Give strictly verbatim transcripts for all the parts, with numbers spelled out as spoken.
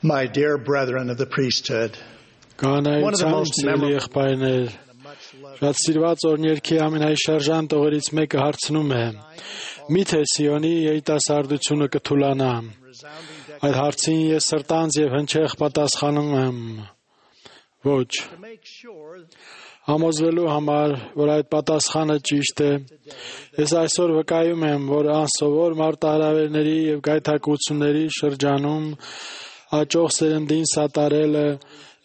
My dear brethren of the priesthood, Կանայության ծելի եղբայրներ, շատ սիրված օրհներքի ամենայշարժան տողերից մեկը հարցնում է. միթե Սիոնի երիտասարդությունը կթուլանա։ Այդ հարցին ես սրտանց եւ հնչեղ պատասխանում եմ. ոչ։ Համոզվելու համար, որ այդ պատասխանը ճիշտ է, ես այսօր վկայում եմ, որ անսովոր մարտահրավերների եւ գայթակղությունների շրջանում աճող սերնդին սատարելը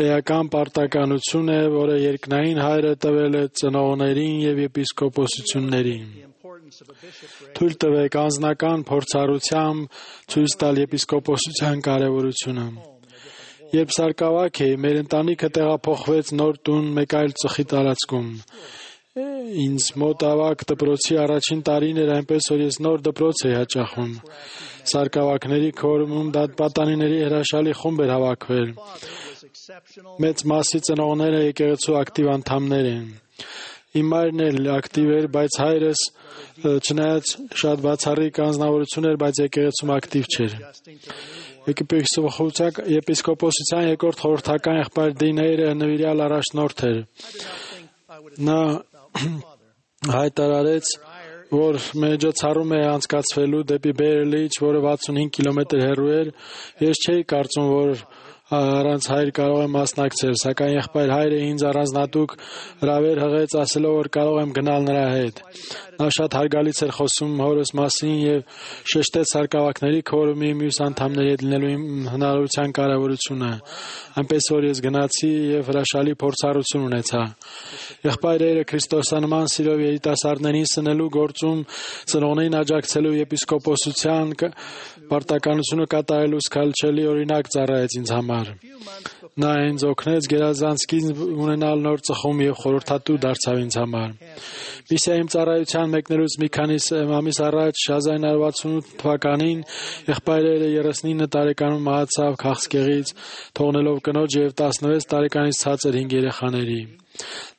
էական պարտականություն է, որը երկնային հայրը տվել է ծնողներին եւ եպիսկոպոսություններին։ Թույլ տվեք անձնական փորձառությամբ ցույց տալ եպիսկոպոսության կարևորությունը։ Երբ սարկավակ էի, մեր ընտանիքը տեղափոխվեց նոր տուն մեկ այլ ծխի տարածքում։ Ինձ մոտ ավագ դպրոցի առաջին տարին էր, այնպես որ ես նոր դպրոց էի հաճախում։ Սարկավակների քորմում դատպատանիների հրաշալի խումբ էր հավաքվել։ Մեծ մասի ծնողները եկեղեցու ակտիվ անդամներ են։ Իմ մայրն էլ ակտիվ էր, բայց հայրս չնայած շատ բացառիկ անձնավորություն էր, բայց եկեղեցում ակտիվ չէր։ Եպիսկոպոսության երկրորդ խորհրդական եղբայր Դինեյրը նվիրյալ առաջնորդ էր։ Նա հայտարարեց, որ մեջոցառում է անցկացվելու դեպի Բերլիչ, որը վաթսունհինգ կիլոմետր հեռու էր։ Ես չէի կարծում, որ առանց հայր կարող եմ մասնակցել, սակայն եղբայր հայրը ինձ առանձնատուկ հրավեր հղեց, ասելով, որ կարող եմ գնալ նրա հետ։ Նա շատ հարգալից էր խոսում հորս մասին եւ շեշտեց սարկավակների քորումի մյուս անդամների հետ լինելու հնարավորության կարևորությունը։ Այնպես որ ես գնացի եւ հրաշալի փորձառություն ունեցա։ Եղբայրերը քրիստոսանման սիրով երիտասարդներին սնելու գործում ծնողներին աջակցելու եպիսկոպոսության պարտականությունը կատարելու սքանչելի օրինակ ծառայեց ինձ համար։ Նա ինձ օգնեց գերազանցքին ունենալ նոր ծխում եւ խորհրդատու դարձավ ինձ համար։ Միսիայի իմ ծառայության մեկնելուց մի քանի ամիս առաջ հազար ինը հարյուր վաթսունութ թվականին եղբայրերը երեսնինը տարեկանում մահացավ քաղցկեղից, թողնելով կնոջ եւ տասնվեց տարեկանից ցածր հինգ երեխաների։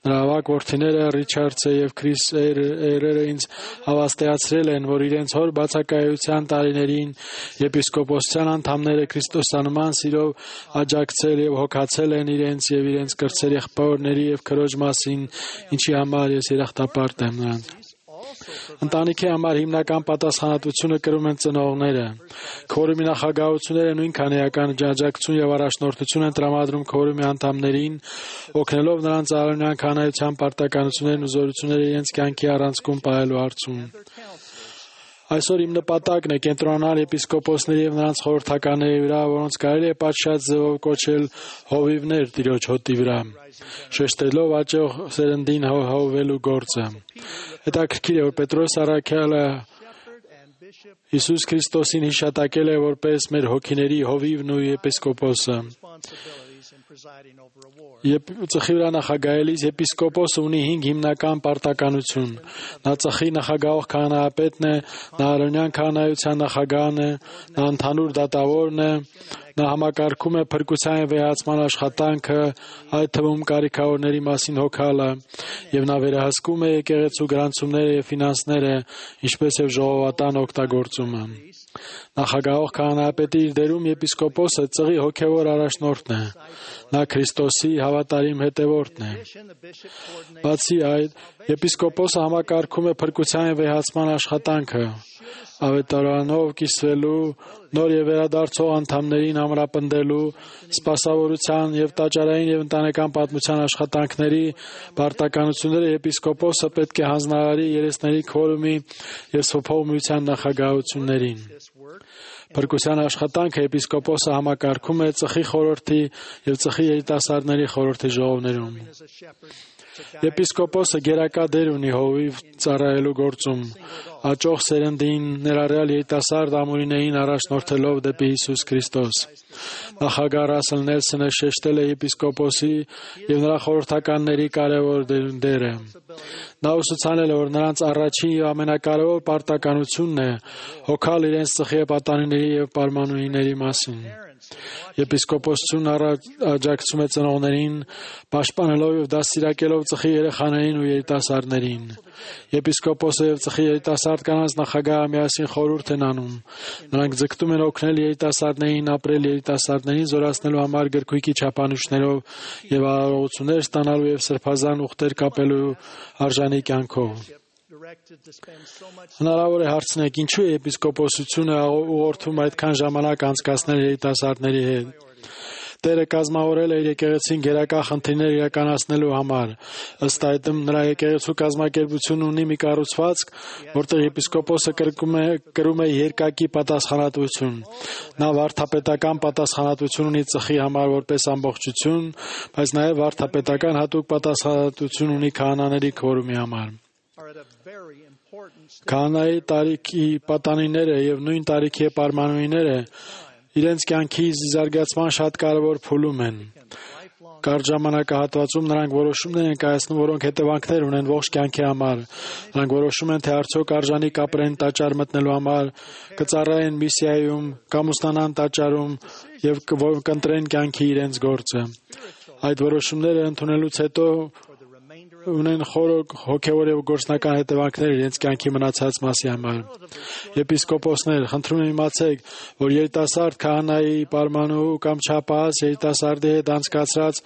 Նրա ավագ որդիները Ռիչարդսը եւ Քրիս Էյրերը ինձ հավաստիացրել են, որ իրենց հոր բացակայության տարիներին եպիսկոպոսության անդամները քրիստոսանման սիրով աջակցել եւ հոգացել են իրենց եւ իրենց կրտսեր եղբայրների եւ քրոջ մասին, ինչի համար ես երախտապարտ եմ նրանց։ Ընտանիքի համար հիմնական պատասխանատվությունը կրում են ծնողները։ Քորումի նախագահությունները նույնքան էական աջակցություն եւ առաջնորդություն են տրամադրում քորումի անդամներին, օգնելով նրանց արարողական կանայության պարտականություններն ու զորությունները իրենց կյանքի առանցքում պահելու հարցում։ Այսօր իմ նպատակն է կենտրոնանալ եպիսկոպոսների եւ նրանց խորհրդականների վրա, որոնց կարելի է պատշաճ ձևով կոչել հովիվներ Տիրոջ հոտի վրա, շեշտելով աճող սերնդին հովվելու գործը։ Հետաքրքիր է, որ Պետրոս առաքյալը Հիսուս Քրիստոսին հիշատակել է որպես մեր հոգիների հովիվն ու եպիսկոպոսը։ Ծխի վրա նախագահելիս եպիսկոպոսը ունի հինգ հիմնական պարտականություն։ Նա ծխի նախագահող քահանայապետն է, նա արոնյան քահանայության նախագահն է, նա ընդհանուր դատավորն է, նա համակարգում է փրկության եւ վեհացման աշխատանքը, այդ թվում կարիքավորների մասին հոգալը, եւ նա վերահսկում է եկեղեցու գրանցումները եւ ֆինանսները, ինչպես եւ ժողովատան օգտագործումը։ Նախագահող քահանայապետի իր դերում եպիսկոպոսը ծղի հոգևոր առաջնորդն է։ Նա Քրիստոսի հավատարիմ հետևորդն է։ Բացի այդ, եպիսկոպոսը համակարգում է փրկության եւ վեհացման աշխատանքը, ավետարանով կիսվելու, նոր եւ վերադարձող անդամներին ամրապնդելու, սպասավորության եւ տաճարային եւ ընտանեկան պատմության աշխատանքների պարտականությունները եպիսկոպոսը պետք է հանձնարարի երեսների քորումի եւ սփոփող միության նախագահություններին։ Փրկության աշխատանքը եպիսկոպոսը համակարգում է ծխի խորհրդի եւ ծխի երիտասարդների խորհրդի ժողովներում։ Եպիսկոպոսը գերակա դեր ունի հովիվ ծառայելու գործում, աճող սերնդին ներառյալ երիտասարդ ամուրիներին առաջնորդելով դեպի Հիսուս Քրիստոս։ Նախագահ Ռասել Նելսոնը շեշտել է եպիսկոպոսի եւ նրա խորհրդականների կարևոր դերը։ Նա ուսուցանել է, որ նրանց առաջին եւ ամենակարևոր պարտականությունն է հոգալ իրենց ծխի պատանիների եւ պարմանուհիների մասին։ Եպիսկոպոսությունն աջակցում է ծնողներին, պաշտպանելով և դաստիարակելով ծխի երեխաներին ու երիտասարդներին։ Եպիսկոպոսը և ծխի երիտասարդ կանանց նախագահը միասին խորհուրդ են անում։ Նրանք ձգտում են օգնել երիտասարդներին ապրել երիտասարդներին զորացնելու համար գրքույկի չափանիշներով և արարողություններ ստանալու և սրբազան ուխտեր կապելու արժանի կյանքով։ Հնարավոր է հարցնեք, ինչու է եպիսկոպոսությունը ուղղորդում այդքան ժամանակ անցկացնել երիտասարդների հետ։ Տերը կազմավորել է իր եկեղեցին գերակա խնդիրներ իրականացնելու համար։ Ըստ այդմ, նրա եկեղեցու կազմակերպությունն ունի մի կառուցվածք, որտեղ եպիսկոպոսը կրում է երկակի պատասխանատվություն։ Նա վարդապետական պատասխանատվություն ունի ծխի համար որպես ամբողջություն, բայց նաև վարդապետական հատուկ պատասխանատվություն ունի քահանաների քվորումի համար։ Քահանայի տարիքի պատանիները և նույն տարիքի էպարմանուհիները իրենց կյանքի զարգացման շատ կարևոր փուլում են։ Կարճ ժամանակահատվածում նրանք որոշումներ են կայացնում, որոնք հետևանքներ ունեն ողջ կյանքի համար։ Նրանք որոշում են, թե արդյոք արժանի կապրեն տաճար մտնելու համար, կծառայեն միսիայում, կամ ուսանան տաճարում և կընտրեն կյանքի իրենց գործը։ Այդ որոշումները ընդունելուց հետո ունեն խոր հոգևոր և գործնական հետևանքներ իրենց կյանքի մնացած մասի համար։ Եպիսկոպոսներ, խնդրում եմ իմացեք, որ երիտասարդ քահանայի, պարմանուհու կամ չափահաս երիտասարդի հետ անցկացրած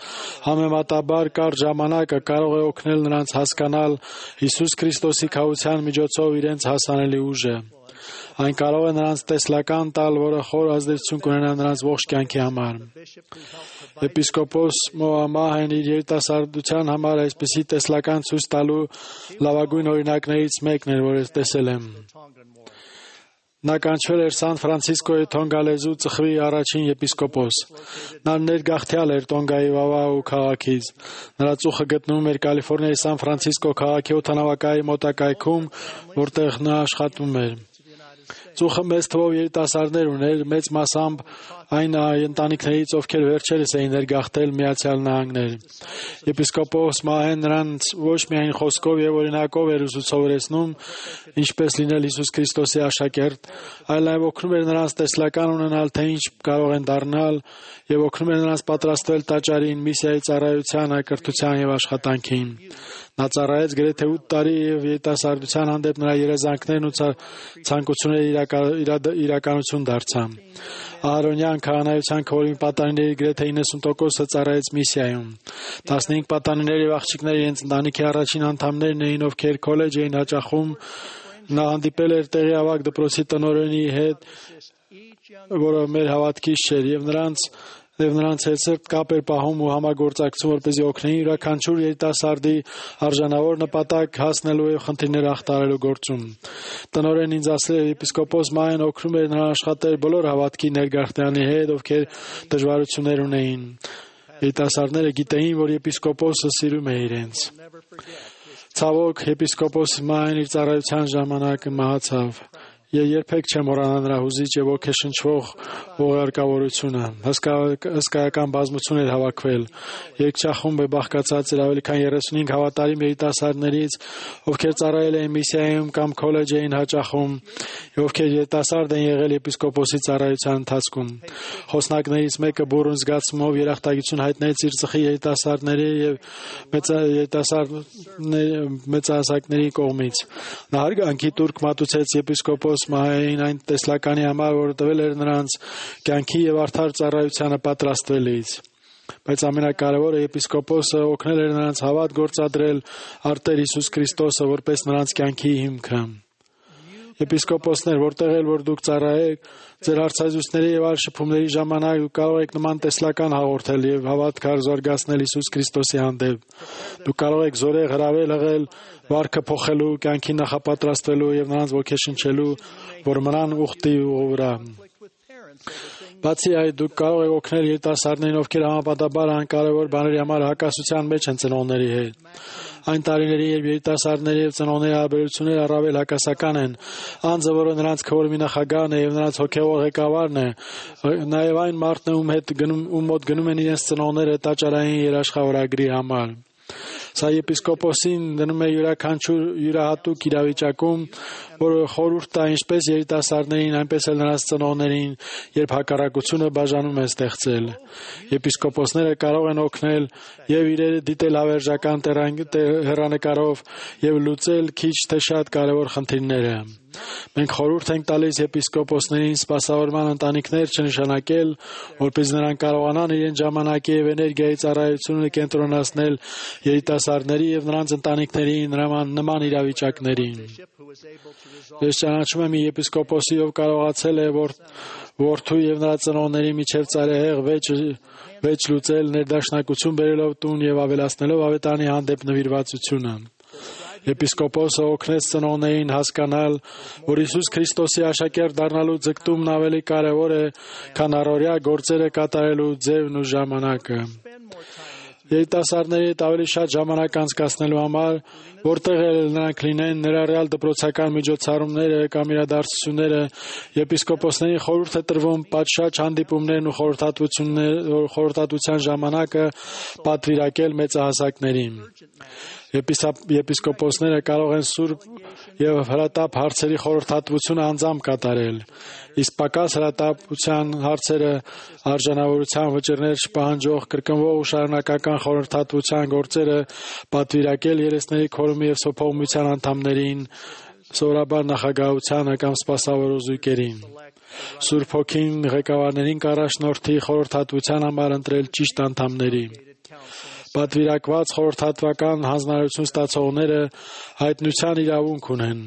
համեմատաբար կարճ ժամանակը կարող է օգնել նրանց հասկանալ Հիսուս Քրիստոսի քավության միջոցով իրենց հասանելի ուժը։ Այն կարող է նրանց տեսլական տալ, որը խոր ազդեցություն կունենա նրանց ողջ կյանքի համար։ Եպիսկոպոս Մոամահն իր երիտասարդության համար այսպիսի տեսլական ցույց տալու լավագույն օրինակներից մեկն էր, որ տեսել եմ։ Նա կանչվել էր Սան Ֆրանցիսկոյի Թոնգալեզու ծխվի առաջին եպիսկոպոս։ Նա ներգաղթյալ էր Տոնգայի Վավաու քաղաքից։ Նրա ծուխը գտնվում էր Կալիֆոռնիայի Սան Ֆրանցիսկո քաղաքի օդանավակայի մոտակայքում, որտեղ նա աշխատում էր։ Ծուխը մեծ թվով երիտասարդներ ուներ, մեծ մասամբ այն ընտանիքներից, ովքեր վերջերս էին ներգաղթել Միացյալ Նահանգներ։ Եպիսկոպոս Մահեն նրանց ոչ միայն խոսքով և օրինակով էր ուսուցողեցնում, ինչպես լինել Հիսուս Քրիստոսի աշակերտ, այլ նաև օգնում էր նրանց տեսլական ունենալ, թե ինչ կարող են դառնալ, և օգնում էր նրանց պատրաստվել տաճարին, միսիայի ծառայության, կրթության և աշխատանքին։ Նա ծառայեց գրեթե ութ տարի և երիտասարդության հանդեպ նրա երազանքներն ու ցանկությունները իրականություն դարձան։ Ահարոնյան քահանայության քվորի պատանիների գրեթե իննսուն տոկոսը ծառայեց միսիայում։ տասնհինգ պատանիներ և աղջիկներ իրենց ընտանիքի առաջին անդամներն էին, ովքեր քոլեջ էին հաճախում։ Նա հանդիպել էր տեղի ավագ դպրոցի տնօրենի հետ, որը մեր հավատքից չէր, և նրանց և նրանց հետ սերտ կապ էր պահում ու համագործակցում, որպեսզի օգնեին յուրաքանչյուր երիտասարդի արժանավոր նպատակ հասնելու և խնդիրներ հաղթահարելու գործում։ Տնօրենն ինձ ասել էր, եպիսկոպոս Մահեն օգնում էր նրան աշխատել բոլոր հավատքի ներգաղթյալների հետ, ովքեր դժվարություններ ունեին։ Երիտասարդները գիտեին, որ եպիսկոպոսը սիրում է իրենց։ Ցավոք, եպիսկոպոս Մահեն իր ծառայության ժամանակ մահացավ։ Ես երբեք չեմ մոռանա նրա հուզիչ և ոգեշնչվող ուղարկավորությունը։ Հսկայական բազմություն էր հավաքվել։ Երգչախումբը բաղկացած էր ավելի քան երեսունհինգ հավատարիմ երիտասարդներից, ովքեր ծառայել էին միսիայում կամ քոլեջ էին հաճախում, և ովքեր երիտասարդ են եղել եպիսկոպոսի ծառայության ընթացքում։ Խոսնակներից մեկը բուռն զգացումով երախտագիտություն հայտնեց իր ծխի երիտասարդների և մեծահասակների կողմից։ Նա հարգանքի տուրք մատուցեց եպիսկոպոս Մահային այն տեսլականի համար, որը տվել էր նրանց կյանքի և արդար ծառայությանը պատրաստվելիս։ Բայց ամենակարևորը, եպիսկոպոսը օգնել էր նրանց հավատ գործադրել արտեր Հիսուս Քրիստոսը որպես նրանց կյանքի հիմքը։ Եպիսկոպոսներ, որտեղ էլ որ դուք ծառայեք, ձեր հարցազրույցների և այլ շփումների ժամանակ դուք կարող եք նման տեսլական հաղորդել և հավատքը զարգացնել Հիսուս Քրիստոսի հանդեպ։ Դուք կարող եք զորեղ հրավել ըղել վարքը փոխելու, կյանքի նախապատրաստվելու և նրանց ոգեշնչելու, որ մնան ուխտի վրա։ Բացի այդ, դուք կարող եք օգնել երիտասարդներին, ովքեր համապատասխան անկարևոր բաների համար հակասության մեջ են ծնողների հետ։ Այն տարիների, երբ երիտասարդների և ծնողների հարաբերությունները առավել հակասական են, անձը, որը նրանց քվորումի նախագահն է և նրանց հոգևոր ղեկավարն է, նաև այն մարդն է, ում հետ ում մոտ գնում են իրենց ծնողները տաճարային երաշխավորագրի համար։ Սա եպիսկոպոսին դնում է յուրաքանչյուր յուրահատուկ իրավիճակում, որը խորհուրդ տա ինչպես երիտասարդներին, այնպես էլ նրանց ծնողներին, երբ հակառակությունը բաժանում է ստեղծել։ Եպիսկոպոսները կարող են օգնել եւ իրերը դիտել հավերժական հեռանկարով եւ լուծել քիչ թե շատ կարևոր խնդիրները։ Մենք խորհուրդ ենք տալիս եպիսկոպոսներին սպասավորման ընտանիքներ չնշանակել, որպեսզի նրանք կարողանան իրենց ժամանակի եւ էներգիայի ծառայությունը կենտրոնացնել երիտասարդների եւ նրանց ընտանիքների նման իրավիճակներին։ Ես ճանաչում եմ մի եպիսկոպոսի, ով կարողացել է որդու եւ նրա ծնողների միջև ծայրահեղ վեճ լուծել, ներդաշնակություն բերելով տուն եւ ավելացնելով ավետարանի հանդեպ նվիրվածությունը։ Եպիսկոպոսը օգնեց ծնողներին հասկանալ, որ Հիսուս Քրիստոսի աշակերտ դառնալու ձգտումն ավելի կարևոր է, քան առօրյա գործերը կատարելու ձևն ու ժամանակը։ Երիտասարդների հետ ավելի շատ ժամանակ անցկացնելու համար, որտեղ էլ նրանք լինեն, ներառյալ դպրոցական միջոցառումները կամ իրադարձությունները, եպիսկոպոսներին խորհուրդ է տրվում պատշաճ հանդիպումներն ու խորհրդատվության ժամանակը պատվիրակել մեծահասակներին։ Եպիսկոպոսները կարող են սուրբ եւ հրատապ հարցերի խորհրդատվությունը անձամբ կատարել, իսկ պակաս հրատապության հարցերը արժանավորության վճռներ չպահանջող կրկնվող ու շարունակական խորհրդատվության գործերը պատվիրակել երեսների քորումի եւ սոփողմության անդամներին, սովորաբար նախագահությանը կամ սպասավորող զույգերին։ Սուրբ Հոգին ղեկավարներին կառաջնորդի խորհրդատվության համար ընտրել ճիշտ անդամների։ Պատվիրակված խորհրդատվական հանձնարարություն ստացողները հայտնության իրավունք ունեն։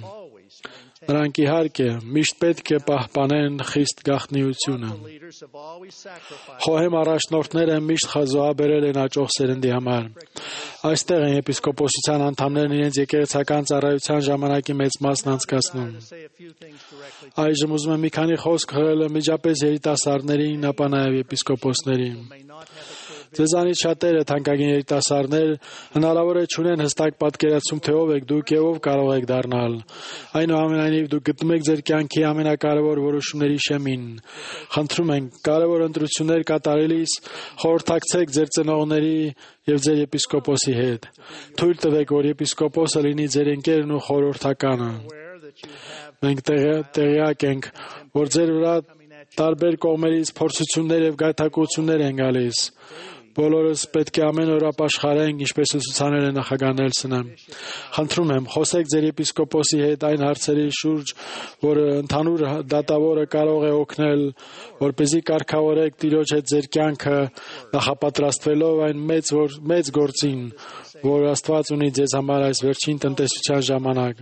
Նրանք իհարկե միշտ պետք է պահպանեն խիստ գաղտնիությունը։ Խոհեմ առաջնորդները միշտ խազոհաբերել են աճող սերնդի համար։ Այստեղ են եպիսկոպոսության անդամներն իրենց եկեղեցական ծառայության ժամանակի մեծ մասն անցկացնում։ Այժմ ուզում եմ մի քանի խոսք հղել միջապես երիտասարդներին, ապա նաև եպիսկոպոսներին։ Ձեզանից շատերը, թանկագին երիտասարդներ, հնարավոր է չունեն հստակ պատկերացում, թե ով եք դուք եւ ով կարող եք դառնալ։ Այնուամենայնիվ դուք գտնում եք ձեր կյանքի ամենակարևոր որոշումների շեմին։ Խնդրում ենք, կարևոր ընտրություններ կատարելիս խորհրդակցեք ձեր ծնողների եւ ձեր եպիսկոպոսի հետ։ Թույլ տվեք, որ եպիսկոպոսը լինի ձեր ընկերն ու խորհրդականը։ Մենք տեղյակ ենք, որ ձեր վրա տարբեր կողմերից փորձություններ եւ գայթակղություններ են գալիս։ Բոլորս պետք է ամեն օր ապաշխարենք, ինչպես ուսուցանել է նախագահ Նելսոնը։ Խնդրում եմ, խոսեք ձեր եպիսկոպոսի հետ այն հարցերի շուրջ, որը ընդհանուր դատավորը կարող է օգնել, որպեսզի կարգավորեք Տիրոջ հետ ձեր կյանքը, նախապատրաստվելով այն մեծ մեծ գործին, որ Աստված ունի ձեզ համար այս վերջին տնտեսության ժամանակ։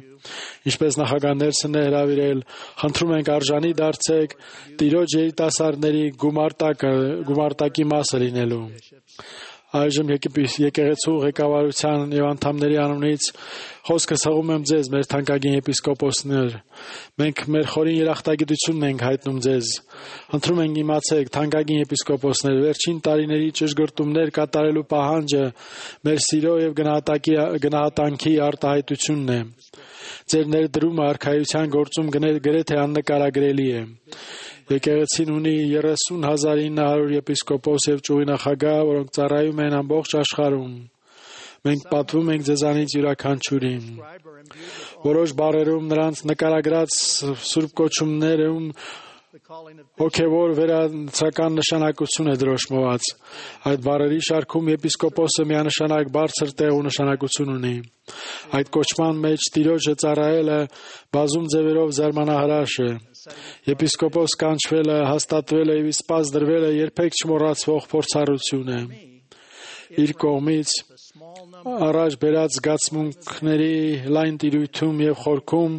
Ինչպես նախագահ Նելսոնն է հրավիրել, խնդրում ենք արժանի դարձեք Տիրոջ երիտասարդների գումարտակը, գումարտակի մասը լինելու։ Այժմ եկեղեցու ղեկավարության եւ անդամների անունից խոսքս հղում եմ ձեզ, մեր թանկագին եպիսկոպոսներ։ Մենք մեր խորին երախտագիտությունն ենք հայտնում ձեզ։ Խնդրում ենք իմացեք, թանկագին եպիսկոպոսներ, վերջին տարիների ճշգրտումներ կատարելու պահանջը մեր սիրո եւ գնահատանքի արտահայտությունն է։ Ձեր ներդրումը արքայության գործում գրեթե աննկարագրելի է։ Եկեղեցին ունի երեսուն հազար ինը հարյուր եպիսկոպոս եւ ճյուղի նախագահ, որոնք ծառայում են ամբողջ աշխարհում։ Մենք պատվում ենք ձեզանից յուրաքանչյուրին։ Որոշ բառերում նրանց նկարագրած սուրբ կոչումներում հոգևոր վերացական նշանակություն է դրոշմված։ Այդ բառերի շարքում եպիսկոպոսը միանշանակ բարձր տեղ ու նշանակություն ունի։ Այդ կոչման մեջ Տիրոջը ծառայելը բազում ձևերով զարմանահրաշ է։ Եպիսկոպոս կանչվելը, հաստատվելը եւ իսպաս դրվելը երբեք չմոռացվող փորձառություն է։ Իր կողմից առաջ բերած զգացմունքների լայն տիրույթում եւ խորքում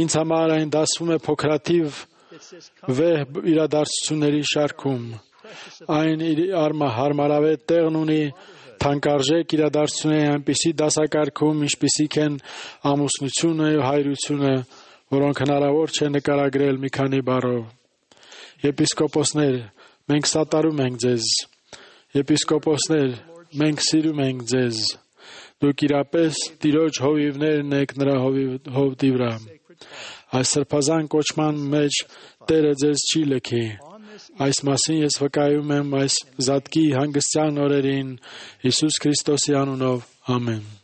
ինձ համար այն դասվում է փոքրաթիվ վեհ իրադարձությունների շարքում։ Այն իր հարմարավետ տեղն ունի թանկարժեք իրադարձությունների այնպիսի դասակարգում, ինչպիսիք են ամուսնությունը եւ հայրությունը, որոնք հնարավոր չէ նկարագրել մի քանի բառով։ Եպիսկոպոսներ, մենք սատարում ենք ձեզ։ Եպիսկոպոսներ, մենք սիրում ենք ձեզ։ Դուք իրապես Տիրոջ հովիվներն եք նրա հովտի վրա։ Այս սրբազան կոչման մեջ Տերը ձեզ չի լքի։ Այս մասին ես վկայում եմ այս զատկի հանգստյան օրերին Հիսուս Քրիստոսի անունով։ Ամեն։